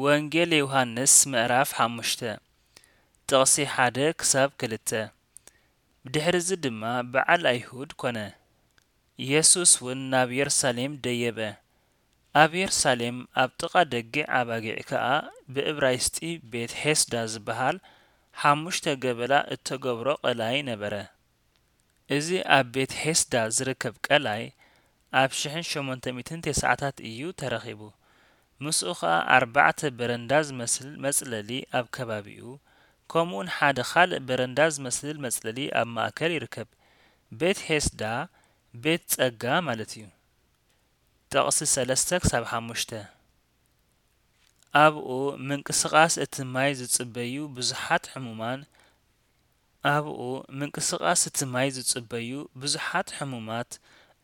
ወንጌል ዮሃንስ ምዕራፍ ሓሙሽተ ጥቕሲ ሓደ ክሳብ ክልተ። ብድሕርዚ ድማ በዓል ኣይሁድ ኮነ። የሱስ እውን ናብ የሩሳሌም ደየበ። ኣብ የሩሳሌም ኣብ ጥቓ ደጊዕ ኣባጊዕ ከኣ ብእብራይስጢ ቤት ሔስዳ ዝበሃል ሓሙሽተ ገበላ እተገብሮ ቀላይ ነበረ። እዚ ኣብ ቤት ሔስዳ ዝርከብ ቀላይ ኣብ ሽሕን ሸሞንተ ሚእትን ተስዓታት እዩ ተረኺቡ። ምስኡ ኸኣ ኣርባዕተ በረንዳ ዝመስል መጽለሊ ኣብ ከባቢኡ፣ ከምኡውን ሓደ ኻልእ በረንዳ ዝመስል መጽለሊ ኣብ ማእከል ይርከብ። ቤት ሔስዳ ቤት ጸጋ ማለት እዩ። ጥቕሲ ሰለስተ ክሳብ ሓሙሽተ። ኣብኡ ምንቅስቓስ እቲ ማይ ዝጽበዩ ብዙሓት ሕሙማን፣ ኣብኡ ምንቅስቓስ እቲ ማይ ዝጽበዩ ብዙሓት ሕሙማት፣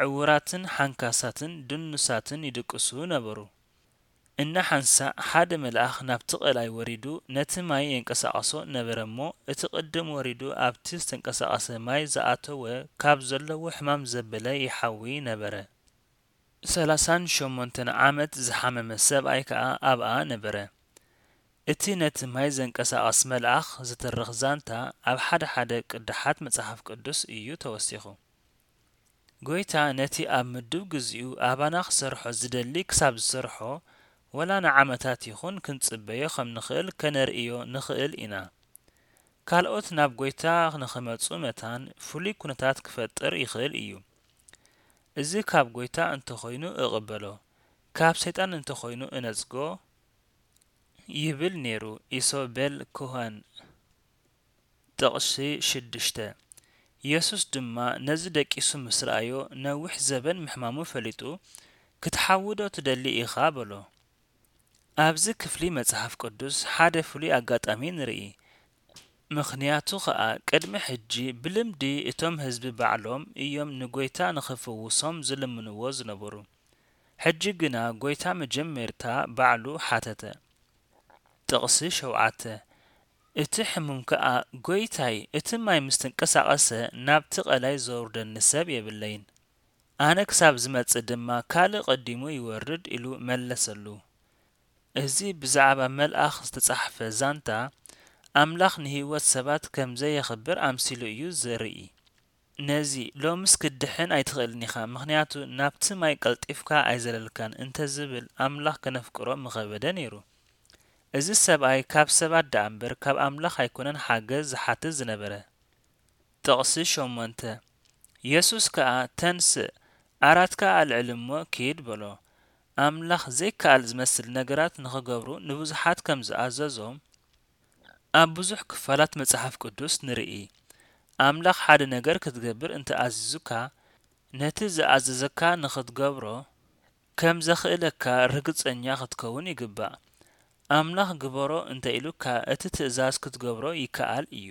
ዕዉራትን ሓንካሳትን ድኑሳትን ይድቅሱ ነበሩ። እናሓንሳእ ሓደ መልኣኽ ናብቲ ቀላይ ወሪዱ ነቲ ማይ የንቀሳቕሶ ነበረ እሞ፣ እቲ ቅድም ወሪዱ ኣብቲ ዝተንቀሳቐሰ ማይ ዝኣተወ ካብ ዘለዎ ሕማም ዘበለ ይሓዊ ነበረ። ሰላሳን ሸሞንተን ዓመት ዝሓመመ ሰብኣይ ከኣ ኣብኣ ነበረ። እቲ ነቲ ማይ ዘንቀሳቕስ መልኣኽ ዝትርኽ ዛንታ ኣብ ሓደ ሓደ ቅዳሓት መጽሓፍ ቅዱስ እዩ ተወሲኹ። ጐይታ ነቲ ኣብ ምዱብ ግዚኡ ኣባና ክሰርሖ ዝደሊ ክሳብ ዝሰርሖ፣ ወላ ንዓመታት ይኹን ክንጽበዮ ከም ንኽእል ከነርእዮ ንኽእል ኢና። ካልኦት ናብ ጐይታ ንኽመጹ መታን ፍሉይ ኩነታት ክፈጥር ይኽእል እዩ። እዚ ካብ ጐይታ እንተኾይኑ እቕበሎ፣ ካብ ሰይጣን እንተኾይኑ እነጽጎ ይብል ነይሩ ኢሶበል ኮሀን። ጥቕሲ ሽዱሽተ። የሱስ ድማ ነዚ ደቂሱ ምስ ረኣዮ ነዊሕ ዘበን ምሕማሙ ፈሊጡ፣ ክትሓዊ ዶ ትደሊ ኢኻ በሎ። ኣብዚ ክፍሊ መጽሓፍ ቅዱስ ሓደ ፍሉይ ኣጋጣሚ ንርኢ። ምኽንያቱ ኸኣ ቅድሚ ሕጂ ብልምዲ እቶም ህዝቢ ባዕሎም እዮም ንጎይታ ንኽፍውሶም ዝልምንዎ ዝነበሩ። ሕጂ ግና ጎይታ መጀመርታ ባዕሉ ሓተተ። ጥቕሲ ሸውዓተ። እቲ ሕሙም ከኣ ጎይታይ እቲ ማይ ምስ ተንቀሳቐሰ ናብቲ ቐላይ ዘውርደኒ ሰብ የብለይን። ኣነ ክሳብ ዝመጽእ ድማ ካልእ ቀዲሙ ይወርድ ኢሉ መለሰሉ። እዚ ብዛዕባ መልኣኽ ዝተጻሕፈ ዛንታ ኣምላኽ ንህይወት ሰባት ከም ዘየኽብር ኣምሲሉ እዩ ዘርኢ። ነዚ ሎምስ ክትድሕን ኣይትኽእልን ኢኻ፣ ምኽንያቱ ናብቲ ማይ ቀልጢፍካ ኣይዘለልካን እንተ ዝብል ኣምላኽ ከነፍቅሮ ምኸበደ ነይሩ። እዚ ሰብኣይ ካብ ሰባት ደኣ እምበር ካብ ኣምላኽ ኣይኮነን ሓገዝ ዝሓትት ዝነበረ። ጥቕሲ ሸሞንተ። የሱስ ከኣ ተንስእ፣ ዓራትካ ኣልዕል እሞ ኪድ በሎ። ኣምላኽ ዘይከኣል ዝመስል ነገራት ንኽገብሩ ንብዙሓት ከም ዝኣዘዞም ኣብ ብዙሕ ክፋላት መጽሓፍ ቅዱስ ንርኢ። ኣምላኽ ሓደ ነገር ክትገብር እንተ ኣዚዙካ፣ ነቲ ዝኣዘዘካ ንኽትገብሮ ከም ዘኽእለካ ርግጸኛ ክትከውን ይግባእ። ኣምላኽ ግበሮ እንተ ኢሉካ፣ እቲ ትእዛዝ ክትገብሮ ይከኣል እዩ።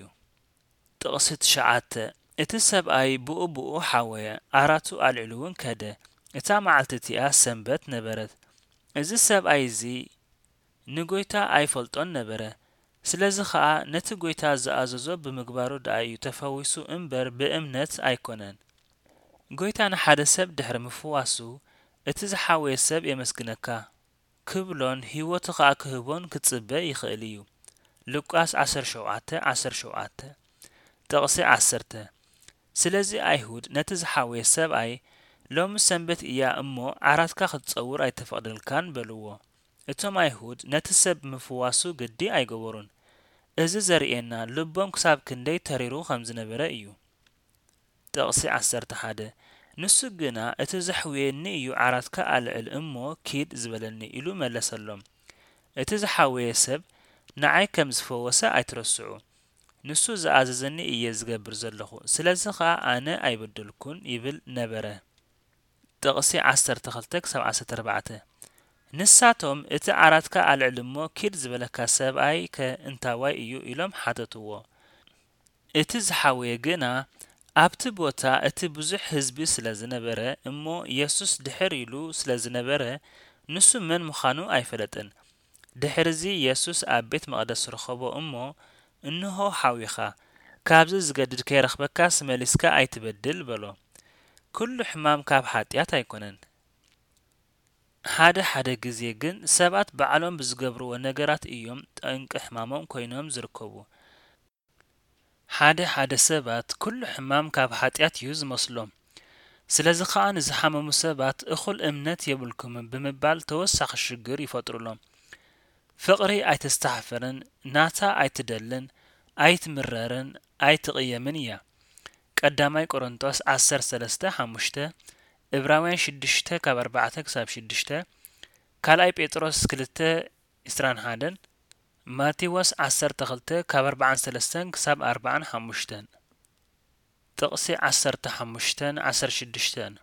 ጥቕሲ ትሽዓተ። እቲ ሰብኣይ ብኡ ብኡ ሓወየ፣ ዓራቱ ኣልዒሉ እውን ከደ። እታ መዓልቲ እቲኣ ሰንበት ነበረት። እዚ ሰብኣይ እዚ ንጎይታ ኣይፈልጦን ነበረ። ስለዚ ኸኣ ነቲ ጎይታ ዝኣዘዞ ብምግባሩ ደኣ እዩ ተፈዊሱ እምበር ብእምነት ኣይኮነን። ጎይታ ንሓደ ሰብ ድሕሪ ምፍዋሱ፣ እቲ ዝሓወየ ሰብ የመስግነካ ክብሎን ህይወቱ ኸኣ ክህቦን ክጽበ ይኽእል እዩ። ሉቃስ ዓሰርተ ሸውዓተ ዓሰርተ ሸውዓተ። ጥቕሲ ዓሰርተ። ስለዚ ኣይሁድ ነቲ ዝሓወየ ሰብኣይ፣ ሎሚ ሰንበት እያ እሞ ዓራትካ ክትጸውር ኣይተፈቕደልካን በልዎ። እቶም ኣይሁድ ነቲ ሰብ ብምፍዋሱ ግዲ ኣይገበሩን። እዚ ዘርእየና ልቦም ክሳብ ክንደይ ተሪሩ ከም ዝነበረ እዩ። ጥቕሲ ዓሰርተ ሓደ። ንሱ ግና እቲ ዘሕውየኒ እዩ ዓራትካ ኣልዕል እሞ ኪድ ዝበለኒ ኢሉ መለሰሎም። እቲ ዝሓወየ ሰብ ንዓይ ከም ዝፈወሰ ኣይትረስዑ። ንሱ ዝኣዘዘኒ እየ ዝገብር ዘለኹ፣ ስለዚ ኸኣ ኣነ ኣይበደልኩን ይብል ነበረ። ጥቕሲ ዓሰርተ ክልተ ክሳብ ዓሰርተ ኣርባዕተ። ንሳቶም እቲ ዓራትካ ኣልዕል እሞ ኪድ ዝበለካ ሰብኣይ ከ እንታዋይ እዩ ኢሎም ሓተትዎ። እቲ ዝሓወየ ግና ኣብቲ ቦታ እቲ ብዙሕ ህዝቢ ስለ ዝነበረ እሞ የሱስ ድሕር ኢሉ ስለ ዝነበረ ንሱ መን ምዃኑ ኣይፈለጠን። ድሕርዚ የሱስ ኣብ ቤት መቕደስ ረኸቦ እሞ፣ እንሆ ሓዊኻ፣ ካብዚ ዝገድድ ከይረኽበካስ መሊስካ ኣይትበድል በሎ። ኩሉ ሕማም ካብ ሓጢኣት ኣይኮነን። ሓደ ሓደ ግዜ ግን ሰባት ባዕሎም ብዝገብርዎ ነገራት እዮም ጠንቂ ሕማሞም ኮይኖም ዝርከቡ። ሓደ ሓደ ሰባት ኩሉ ሕማም ካብ ሓጢኣት እዩ ዝመስሎም። ስለዚ ከኣ ንዝሓመሙ ሰባት እኹል እምነት የብልኩምን ብምባል ተወሳኺ ሽግር ይፈጥሩሎም። ፍቕሪ ኣይተስተሓፍርን፣ ናታ ኣይትደልን፣ ኣይትምረርን፣ ኣይትቕየምን እያ። ቀዳማይ ቆሮንቶስ ዓሰርተ ሰለስተ ሓሙሽተ፣ እብራውያን ሽዱሽተ ካብ ኣርባዕተ ክሳብ ሽዱሽተ፣ ካልኣይ ጴጥሮስ ክልተ ዕስራን ሓደን፣ ማቴዎስ ዓሰርተ ክልተ ካብ ኣርባዓን ሰለስተን ክሳብ ኣርባዓን ሓሙሽተን። ጥቕሲ ዓሰርተ ሓሙሽተን ዓሰርተ ሽዱሽተን።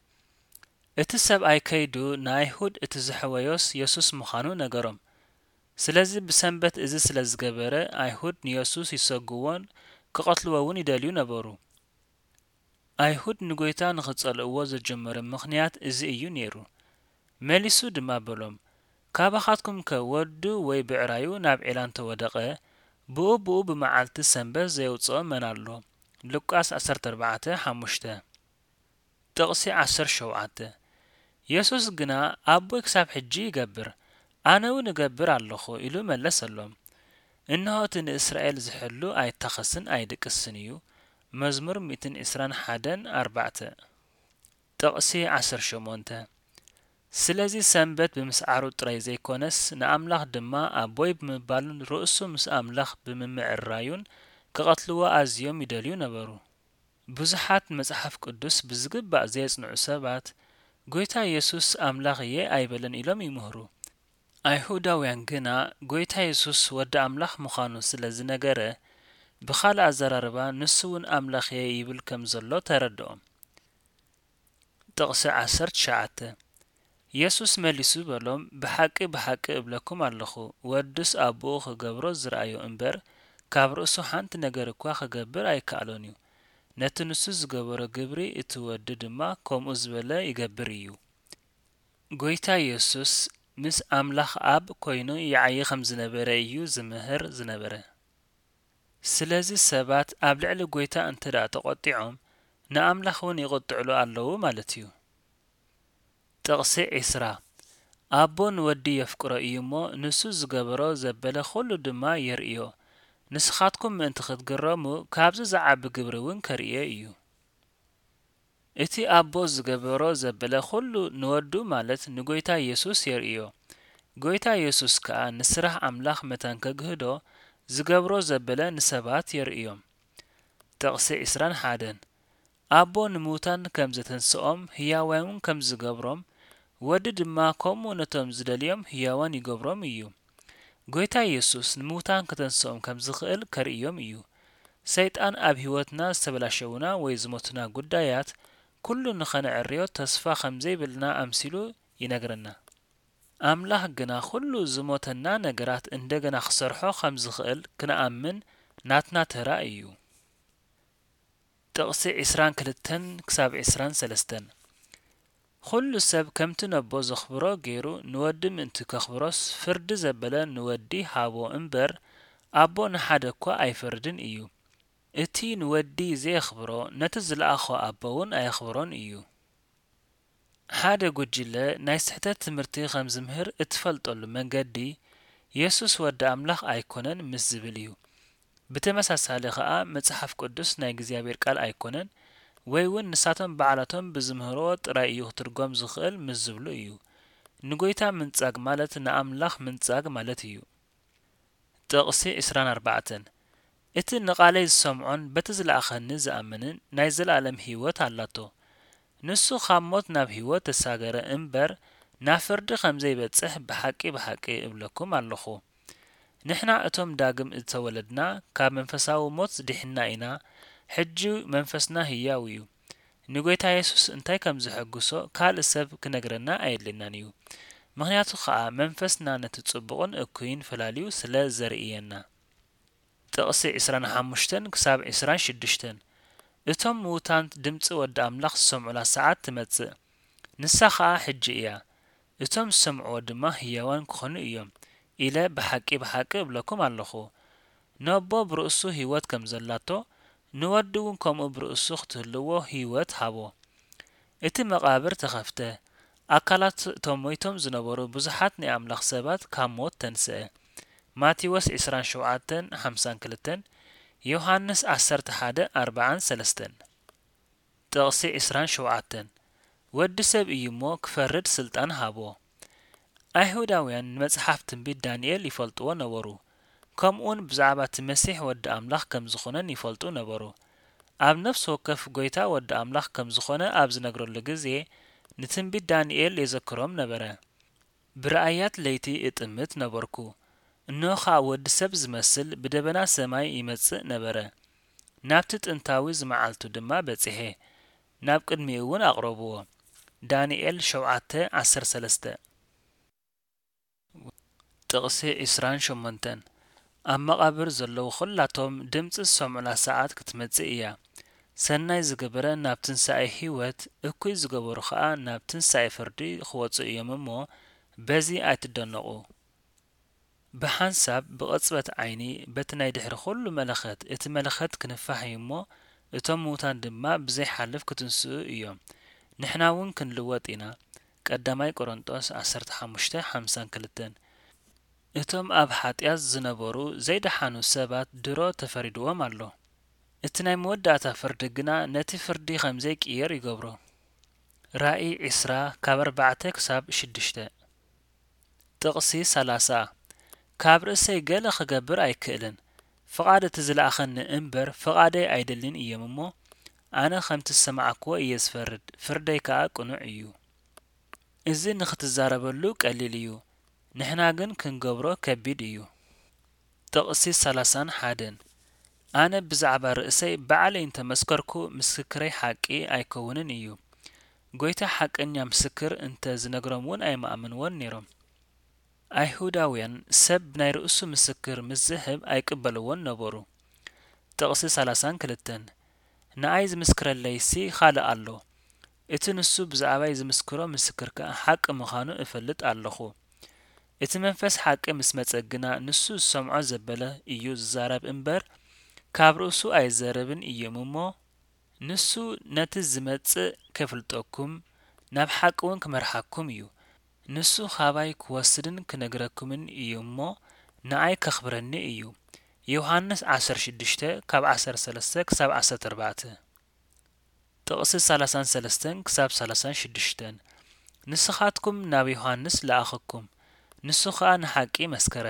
እቲ ሰብኣይ ከይዱ ንኣይሁድ እቲ ዘሕወዮስ የሱስ ምዃኑ ነገሮም። ስለዚ ብሰንበት እዚ ስለ ዝገበረ ኣይሁድ ንየሱስ ይሰግዎን ክቐትልዎ እውን ይደልዩ ነበሩ። ኣይሁድ ንጎይታ ንኽጸልእዎ ዘጀመረ ምኽንያት እዚ እዩ ነይሩ። መሊሱ ድማ በሎም፣ ካባኻትኩምከ ወዱ ወይ ብዕራዩ ናብ ዒላ እንተወደቐ፣ ብኡ ብኡ ብመዓልቲ ሰንበት ዘየውጽኦ መን ኣሎ? ሉቃስ ዓሰርተ ኣርባዕተ ሓሙሽተ። ጥቕሲ ዓሰርተ ሸውዓተ። የሱስ ግና ኣቦይ ክሳብ ሕጂ ይገብር፣ ኣነ እውን እገብር ኣለኹ ኢሉ መለሰሎም። እንሆ እቲ ንእስራኤል ዝሕሉ ኣይታኸስን ኣይድቅስን እዩ። መዝሙር ሚእትን ዕስራን ሓደን ኣርባዕተ። ጥቕሲ ዓሰርተ ሸሞንተ። ስለዚ ሰንበት ብምስዓሩ ጥራይ ዘይኮነስ ንኣምላኽ ድማ ኣቦይ ብምባሉን ርእሱ ምስ ኣምላኽ ብምምዕርራዩን ክቐትልዎ ኣዝዮም ይደልዩ ነበሩ። ብዙሓት መጽሓፍ ቅዱስ ብዝግባእ ዘየጽንዑ ሰባት፣ ጎይታ የሱስ ኣምላኽ እየ ኣይበለን ኢሎም ይምህሩ። ኣይሁዳውያን ግና፣ ጎይታ የሱስ ወዲ ኣምላኽ ምዃኑ ስለ ዝነገረ፣ ብኻልእ ኣዘራርባ ንሱ እውን ኣምላኽ እየ ይብል ከም ዘሎ ተረድኦም። ጥቕሲ ዓሰርተ ትሽዓተ። የሱስ መሊሱ በሎም፣ ብሓቂ ብሓቂ እብለኩም ኣለኹ፣ ወድስ ኣቦኡ ኽገብሮ ዝረኣዮ እምበር፣ ካብ ርእሱ ሓንቲ ነገር እኳ ኽገብር ኣይከኣሎን እዩ። ነቲ ንሱ ዝገበሮ ግብሪ እቲ ወዲ ድማ ከምኡ ዝበለ ይገብር እዩ። ጐይታ የሱስ ምስ ኣምላኽ ኣብ ኮይኑ ይዓዪ ኸም ዝነበረ እዩ ዝምህር ዝነበረ። ስለዚ ሰባት ኣብ ልዕሊ ጐይታ እንተ ደኣ ተቖጢዖም፣ ንኣምላኽ እውን ይቕጥዕሉ ኣለዉ ማለት እዩ። ጥቕሲ ዕስራ። ኣቦ ንወዲ የፍቅሮ እዩ እሞ፣ ንሱ ዝገበሮ ዘበለ ኹሉ ድማ የርእዮ። ንስኻትኩም ምእንቲ ኽትግረሙ፣ ካብዚ ዝዓቢ ግብሪ እውን ከርእዮ እዩ። እቲ ኣቦ ዝገበሮ ዘበለ ኹሉ ንወዱ፣ ማለት ንጐይታ የሱስ የርእዮ። ጐይታ የሱስ ከኣ ንስራሕ ኣምላኽ መታን ከግህዶ፣ ዝገብሮ ዘበለ ንሰባት የርእዮም። ጥቕሲ ዕስራን ሓደን። ኣቦ ንምውታን ከም ዘተንስኦም፣ ህያዋይ እውን ከም ዝገብሮም፣ ወዲ ድማ ከምኡ ነቶም ዝደልዮም ህያዋን ይገብሮም እዩ። ጐይታ የሱስ ንምውታን ከተንስኦም ከም ዝኽእል ከርእዮም እዩ። ሰይጣን ኣብ ህይወትና ዝተበላሸዉና ወይ ዝሞቱና ጉዳያት ኩሉ ንኸነዕርዮ ተስፋ ከም ዘይብልና ኣምሲሉ ይነግረና። ኣምላኽ ግና ኩሉ ዝሞተና ነገራት እንደገና ክሰርሖ ከም ዝኽእል ክንኣምን ናትና ተራ እዩ። ጥቕሲ ዕስራን ክልተን ክሳብ ዕስራን ሰለስተን። ኩሉ ሰብ ከምቲ ነቦ ዘኽብሮ ገይሩ ንወዲ ምእንቲ ከኽብሮስ፣ ፍርዲ ዘበለ ንወዲ ሃቦ እምበር፣ ኣቦ ንሓደ እኳ ኣይፈርድን እዩ። እቲ ንወዲ ዘየኽብሮ፣ ነቲ ዝለኣኾ ኣቦ እውን ኣየኽብሮን እዩ። ሓደ ጉጅለ ናይ ስሕተት ትምህርቲ ከም ዝምህር እትፈልጠሉ መንገዲ፣ የሱስ ወዲ ኣምላኽ ኣይኮነን ምስ ዝብል እዩ። ብተመሳሳሊ ኸኣ፣ መጽሓፍ ቅዱስ ናይ እግዚኣብሔር ቃል ኣይኮነን፣ ወይ እውን ንሳቶም ባዕላቶም ብዝምህርዎ ጥራይ እዩ ክትርጎም ዝኽእል ምስ ዝብሉ እዩ። ንጐይታ ምንጻግ ማለት ንኣምላኽ ምንጻግ ማለት እዩ። ጥቕሲ ዕስራን ኣርባዕተን። እቲ ንቓለይ ዝሰምዖን በቲ ዝለኣኸኒ ዝኣምንን ናይ ዘለኣለም ህይወት ኣላቶ። ንሱ ኻብ ሞት ናብ ህይወት ተሳገረ እምበር፣ ናብ ፍርዲ ኸም ዘይበጽሕ ብሓቂ ብሓቂ እብለኩም ኣለኹ። ንሕና እቶም ዳግም እተወለድና፣ ካብ መንፈሳዊ ሞት ድሒንና ኢና። ሕጂ መንፈስና ህያው እዩ። ንጐይታ የሱስ እንታይ ከም ዘሐጉሶ ካልእ ሰብ ክነግረና ኣየድልየናን እዩ። ምኽንያቱ ኸኣ መንፈስና ነቲ ጽቡቕን እኩይን ፈላልዩ ስለ ዘርእየና። ጥቕሲ ዕስራን ሓሙሽተን ክሳብ ዕስራን ሽዱሽተን። እቶም ምዉታን ድምጺ ወዲ ኣምላኽ ዝሰምዑላ ሰዓት ትመጽእ፣ ንሳ ኸኣ ሕጂ እያ። እቶም ዝሰምዕዎ ድማ ህያዋን ክኾኑ እዮም ኢለ ብሓቂ ብሓቂ እብለኩም ኣለኹ። ነቦ ብርእሱ ህይወት ከም ዘላቶ፣ ንወዲ እውን ከምኡ ብርእሱ ክትህልዎ ህይወት ሃቦ። እቲ መቓብር ተኸፍተ፣ ኣካላት እቶም ሞይቶም ዝነበሩ ብዙሓት ናይ ኣምላኽ ሰባት ካብ ሞት ተንስአ። ማቴዎስ ዕስራን ሸውዓተን ሓምሳን ክልተን፣ ዮሃንስ ዓሰርተ ሓደ ኣርብዓን ሰለስተን። ጥቕሲ ዕስራን ሸውዓተን፣ ወዲ ሰብ እዩ እሞ ክፈርድ ስልጣን ሃቦ። ኣይሁዳውያን ንመጽሓፍ ትንቢት ዳንኤል ይፈልጥዎ ነበሩ። ከምኡውን ብዛዕባ እቲ መሲሕ ወዲ ኣምላኽ ከም ዝኾነን ይፈልጡ ነበሩ። ኣብ ነፍሲ ወከፍ ጐይታ ወዲ ኣምላኽ ከም ዝኾነ ኣብ ዝነግረሉ ግዜ፣ ንትንቢት ዳንኤል የዘክሮም ነበረ። ብራእያት ለይቲ እጥምት ነበርኩ። እንሆ ኸኣ ወዲ ሰብ ዝመስል ብደበና ሰማይ ይመጽእ ነበረ። ናብቲ ጥንታዊ ዝመዓልቱ ድማ በጺሐ፣ ናብ ቅድሚኡ እውን ኣቕረብዎ። ዳንኤል ሸውዓተ ዓሰርተ ሰለስተ። ጥቕሲ ዕስራን ሸሞንተን፣ ኣብ መቓብር ዘለዉ ኹላቶም ድምጺ ዝሰምዑላ ሰዓት ክትመጽእ እያ። ሰናይ ዝገበረ ናብ ትንሳኤ ህይወት፣ እኩይ ዝገበሩ ኸኣ ናብ ትንሳኤ ፍርዲ ክወጹ እዮም እሞ፣ በዚ ኣይትደነቑ። ብሓንሳብ ብቕጽበት ዓይኒ በቲ ናይ ድሕሪ ኹሉ መለኸት፣ እቲ መለኸት ክንፋሕ እዩ እሞ፣ እቶም ምዉታን ድማ ብዘይሓልፍ ክትንስኡ እዮም። ንሕና እውን ክንልወጥ ኢና። ቀዳማይ ቆሮንጦስ ዓሰርተ ሓሙሽተ ሓምሳን ክልተን። እቶም ኣብ ሓጢኣት ዝነበሩ ዘይደሓኑ ሰባት ድሮ ተፈሪድዎም ኣሎ። እቲ ናይ መወዳእታ ፍርዲ ግና ነቲ ፍርዲ ከም ዘይቅየር ይገብሮ። ራእይ ዕስራ ካብ ኣርባዕተ ክሳብ ሽዱሽተ። ጥቕሲ ሰላሳ፣ ካብ ርእሰይ ገለ ክገብር ኣይክእልን፣ ፍቓድ እቲ ዝለኣኸኒ እምበር ፍቓደይ ኣይደልን እየም እሞ፣ ኣነ ከምቲ ዝሰማዕክዎ እየ ዝፈርድ፣ ፍርደይ ከኣ ቅኑዕ እዩ። እዚ ንኽትዛረበሉ ቀሊል እዩ፣ ንሕና ግን ክንገብሮ ከቢድ እዩ። ጥቕሲ ሰላሳን ሓደን፣ ኣነ ብዛዕባ ርእሰይ ባዕለይ እንተ መስከርኩ፣ ምስክረይ ሓቂ ኣይከውንን እዩ። ጐይታ ሓቀኛ ምስክር እንተ ዝነግሮም እውን ኣይምኣመንዎን ነይሮም። ኣይሁዳውያን ሰብ ናይ ርእሱ ምስክር ምስ ዝህብ ኣይቅበልዎን ነበሩ። ጥቕሲ ሰላሳን ክልተን፣ ንኣይ ዝምስክረለይሲ ኻልእ ኣሎ፣ እቲ ንሱ ብዛዕባይ ዝምስክሮ ምስክር ከኣ ሓቂ ምዃኑ እፈልጥ ኣለኹ። እቲ መንፈስ ሓቂ ምስ መጸ ግና ንሱ ዝሰምዖ ዘበለ እዩ ዝዛረብ እምበር፣ ካብ ርእሱ ኣይዘረብን እዩም እሞ፣ ንሱ ነቲ ዝመጽእ ከፍልጠኩም፣ ናብ ሓቂ እውን ክመርሓኩም እዩ። ንሱ ኻባይ ክወስድን ክነግረኩምን እዩ እሞ፣ ንኣይ ከኽብረኒ እዩ። ዮሃንስ ዓሰርተ ሽዱሽተ ካብ ዓሰርተ ሰለስተ ክሳብ ዓሰርተ ኣርባዕተ። ጥቕሲ ሰላሳን ሰለስተን ክሳብ ሰላሳን ሽዱሽተን። ንስኻትኩም ናብ ዮሃንስ ለኣኸኩም፣ ንሱ ኸኣ ንሓቂ መስከረ።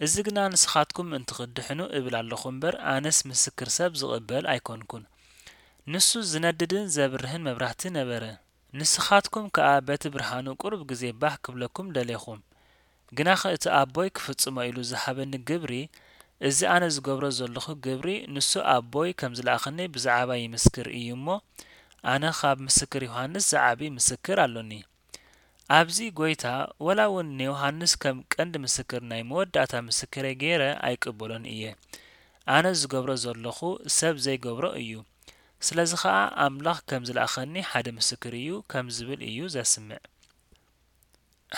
እዚ ግና ንስኻትኩም እንትኽድሕኑ እብል ኣለኹ እምበር፣ ኣነስ ምስክር ሰብ ዝቕበል ኣይኮንኩን። ንሱ ዝነድድን ዘብርህን መብራህቲ ነበረ። ንስኻትኩም ከኣ በቲ ብርሃኑ ቁሩብ ግዜ ባህ ክብለኩም ደሌኹም። ግናኸ እቲ ኣቦይ ክፍጽሞ ኢሉ ዝሃበኒ ግብሪ፣ እዚ ኣነ ዝገብሮ ዘለኹ ግብሪ፣ ንሱ ኣቦይ ከም ዝለኣኸኒ ብዛዕባይ ይምስክር እዩ እሞ፣ ኣነ ኻብ ምስክር ዮሃንስ ዝዓቢ ምስክር ኣሎኒ። ኣብዚ ጐይታ፣ ወላ እውን ንዮሃንስ ከም ቀንዲ ምስክር፣ ናይ መወዳእታ ምስክረይ ገይረ ኣይቅበሎን እየ። ኣነ ዝገብሮ ዘለኹ ሰብ ዘይገብሮ እዩ። ስለዚ ኸኣ ኣምላኽ ከም ዝለኣኸኒ ሓደ ምስክር እዩ ከም ዝብል እዩ ዘስምዕ።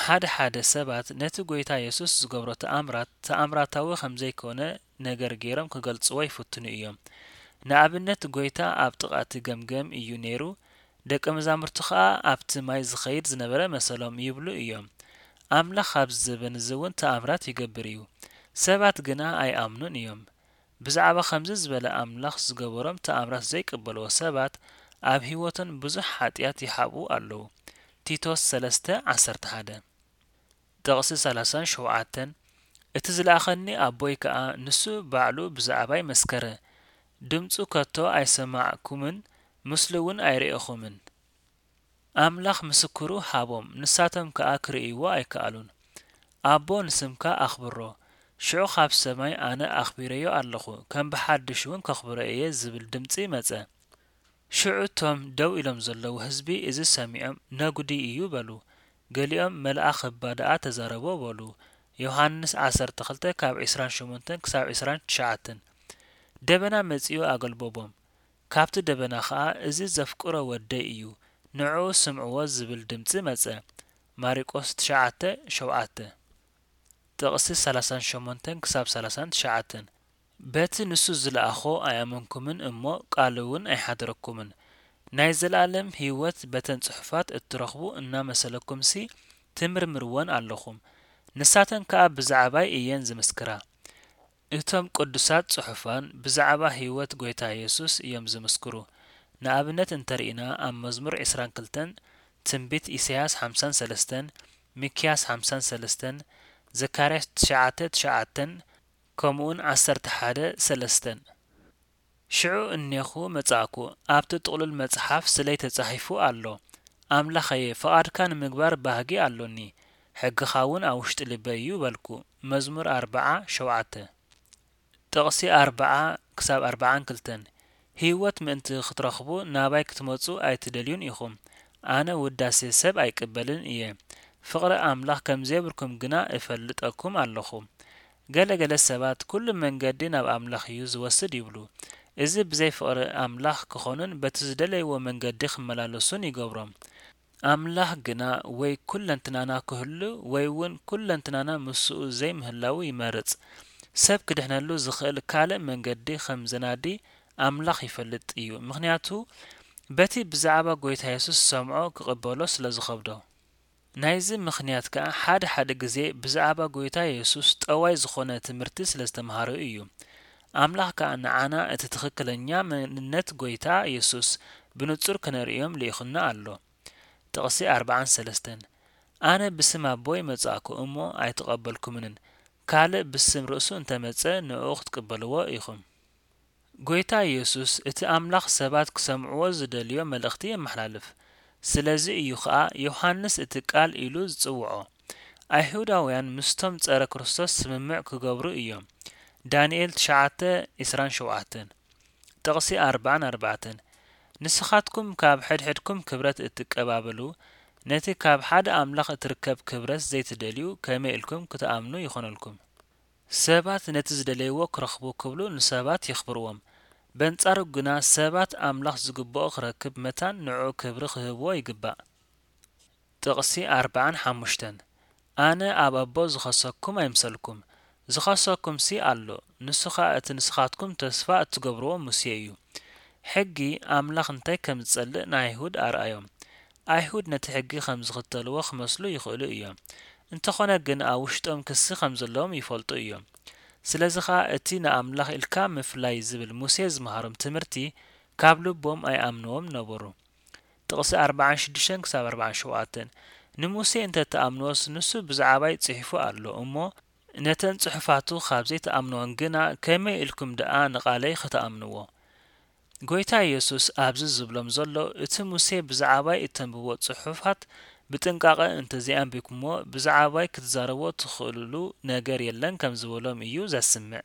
ሓደ ሓደ ሰባት ነቲ ጐይታ የሱስ ዝገብሮ ተኣምራት ተኣምራታዊ ከም ዘይኮነ ነገር ገይሮም ክገልጽዎ ይፍትኑ እዮም። ንኣብነት፣ ጐይታ ኣብ ጥቓ እቲ ገምገም እዩ ነይሩ፣ ደቀ መዛሙርቱ ኸኣ ኣብቲ ማይ ዝኸይድ ዝነበረ መሰሎም ይብሉ እዮም። ኣምላኽ ኣብዚ ዘበን እዚ እውን ተኣምራት ይገብር እዩ። ሰባት ግና ኣይኣምኑን እዮም። ብዛዕባ ከምዚ ዝበለ ኣምላኽ ዝገበሮም ተኣምራት ዘይቅበልዎ ሰባት ኣብ ህይወቶም ብዙሕ ሓጢኣት ይሓብኡ ኣለዉ። ቲቶስ ሰለስተ ዓሰርተ ሓደ። ጥቕሲ ሰላሳን ሸውዓተን፣ እቲ ዝለኣኸኒ ኣቦይ ከኣ ንሱ ባዕሉ ብዛዕባይ መስከረ። ድምጹ ከቶ ኣይሰማዕኩምን፣ ምስሉ እውን ኣይርኤኹምን። ኣምላኽ ምስክሩ ሃቦም፣ ንሳቶም ከኣ ክርእይዎ ኣይከኣሉን። ኣቦ ንስምካ ኣኽብሮ፣ ሽዑ ካብ ሰማይ ኣነ ኣኽቢረዮ ኣለኹ፣ ከም ብሓድሽ እውን ከኽብሮ እየ ዝብል ድምጺ መጸ። ሽዑ እቶም ደው ኢሎም ዘለዉ ህዝቢ እዚ ሰሚዖም ነጉዲ እዩ በሉ። ገሊኦም መልኣኽ እባ ደኣ ተዛረቦ በሉ። ዮሃንስ ዓሰርተ ክልተ ካብ ዕስራን ሸሞንተን ክሳብ ዕስራን ትሽዓተን። ደበና መጺኡ ኣገልበቦም። ካብቲ ደበና ኸኣ እዚ ዘፍቅሮ ወደይ እዩ፣ ንዕኡ ስምዕዎ ዝብል ድምጺ መጸ። ማሪቆስ ትሽዓተ ሸውዓተ። ጥቕሲ ሰላሳን ሸሞንተን ክሳብ ሰላሳን ትሽዓተን። በቲ ንሱ ዝለኣኾ ኣይኣመንኩምን እሞ ቃሉ እውን ኣይሓደረኩምን። ናይ ዘለኣለም ህይወት በተን ጽሑፋት እትረኽቡ እናመሰለኩምሲ ትምርምርወን ኣለኹም። ንሳተን ከኣ ብዛዕባይ እየን ዝምስክራ። እቶም ቅዱሳት ጽሑፋን ብዛዕባ ህይወት ጐይታ የሱስ እዮም ዝምስክሩ። ንኣብነት እንተ ርኢና፣ ኣብ መዝሙር ዕስራን ክልተን፣ ትንቢት ኢሳይያስ ሓምሳን ሰለስተን፣ ሚክያስ ሓምሳን ሰለስተን፣ ዘካርያስ ትሽዓተ ትሽዓተን፣ ከምኡውን ዓሰርተ ሓደ ሰለስተን። ሽዑ እኔኹ መጻእኩ፣ ኣብቲ ጥቕሉል መጽሓፍ ስለይ ተጻሒፉ ኣሎ። ኣምላኸየ፣ ፍቓድካ ንምግባር ባህጊ ኣሎኒ፣ ሕግኻ እውን ኣብ ውሽጢ ልበይ እዩ በልኩ። መዝሙር ኣርብዓ ሸውዓተ። ጥቕሲ ኣርብዓ ክሳብ ኣርብዓን ክልተን። ህይወት ምእንቲ ክትረኽቡ ናባይ ክትመጹ ኣይትደልዩን ኢኹም። ኣነ ውዳሴ ሰብ ኣይቅበልን እየ። ፍቕሪ ኣምላኽ ከም ዘይብልኩም ግና እፈልጠኩም ኣለኹ። ገለ ገለ ሰባት፣ "ኩሉ መንገዲ ናብ ኣምላኽ እዩ ዝወስድ" ይብሉ። እዚ ብዘይ ፍቕሪ ኣምላኽ ክኾኑን በቲ ዝደለይዎ መንገዲ ክመላለሱን ይገብሮም። ኣምላኽ ግና ወይ ኩለንትናና ክህሉ ወይ እውን ኩለንትናና ምስኡ ዘይምህላው ይመርጽ። ሰብ ክድሕነሉ ዝኽእል ካልእ መንገዲ ከም ዘናዲ ኣምላኽ ይፈልጥ እዩ፣ ምኽንያቱ በቲ ብዛዕባ ጐይታ የሱስ ዝሰምዖ ክቕበሎ ስለ ዝኸብዶ። ናይዚ ምኽንያት ከኣ ሓደ ሓደ ግዜ ብዛዕባ ጐይታ የሱስ ጠዋይ ዝኾነ ትምህርቲ ስለ ዝተምሃረ እዩ። ኣምላኽ ከኣ ንዓና እቲ ትኽክለኛ መንነት ጐይታ የሱስ ብንጹር ክነርእዮም ልኢኹና ኣሎ። ጥቕሲ ኣርብዓን ሰለስተን። ኣነ ብስም ኣቦይ መጻእኩ እሞ ኣይተቐበልኩምንን፣ ካልእ ብስም ርእሱ እንተ መጸ ንዕኡ ክትቅበልዎ ኢኹም። ጐይታ የሱስ እቲ ኣምላኽ ሰባት ክሰምዕዎ ዝደልዮ መልእኽቲ የመሓላልፍ። ስለዚ እዩ ኸኣ ዮሃንስ እቲ ቃል ኢሉ ዝጽውዖ። ኣይሁዳውያን ምስቶም ጸረ ክርስቶስ ስምምዕ ክገብሩ እዮም። ዳንኤል ትሽዓተ ዕስራን ሸውዓተን። ጥቕሲ ኣርብዓን ኣርባዕተን። ንስኻትኩም ካብ ሕድሕድኩም ክብረት እትቀባበሉ፣ ነቲ ካብ ሓደ ኣምላኽ እትርከብ ክብረት ዘይትደልዩ ከመይ ኢልኩም ክትኣምኑ ይኾነልኩም? ሰባት ነቲ ዝደለይዎ ክረኽቡ ክብሉ ንሰባት የኽብርዎም። በንጻሩ ግና ሰባት ኣምላኽ ዝግብኦ ክረክብ መታን ንዕኡ ክብሪ ክህብዎ ይግባእ። ጥቕሲ ኣርብዓን ሓሙሽተን። ኣነ ኣብ ኣቦ ዝኸሰኩም ኣይምሰልኩም። ዝኸሰኩምሲ ኣሎ፣ ንሱ ኸኣ እቲ ንስኻትኩም ተስፋ እትገብርዎ ሙሴ እዩ። ሕጊ ኣምላኽ እንታይ ከም ዝጸልእ ንኣይሁድ ኣርኣዮም። ኣይሁድ ነቲ ሕጊ ከም ዝኽተልዎ ክመስሉ ይኽእሉ እዮም። እንተኾነ ግን ኣብ ውሽጦም ክሲ ከም ዘለዎም ይፈልጡ እዮም። ስለዚ ኸኣ እቲ ንኣምላኽ ኢልካ ምፍላይ ዝብል ሙሴ ዝመሃሮም ትምህርቲ ካብ ልቦም ኣይኣምንዎም ነበሩ። ጥቕሲ ኣርብዓን ሽዱሽተን ክሳብ ኣርብዓን ሸውዓተን። ንሙሴ እንተ ትኣምንዎስ ንሱ ብዛዕባይ ጽሒፉ ኣሎ እሞ፣ ነተን ጽሑፋቱ ካብ ዘይትኣምንወን ግና ከመይ ኢልኩም ደኣ ንቓለይ ኽትኣምንዎ? ጐይታ የሱስ ኣብዚ ዝብሎም ዘሎ፣ እቲ ሙሴ ብዛዕባይ እተንብቦ ጽሑፋት ብጥንቃቐ እንተ ዘይኣንቢብኩምዎ፣ ብዛዕባይ ክትዛረብዎ ትኽእሉሉ ነገር የለን ከም ዝበሎም እዩ ዘስምዕ።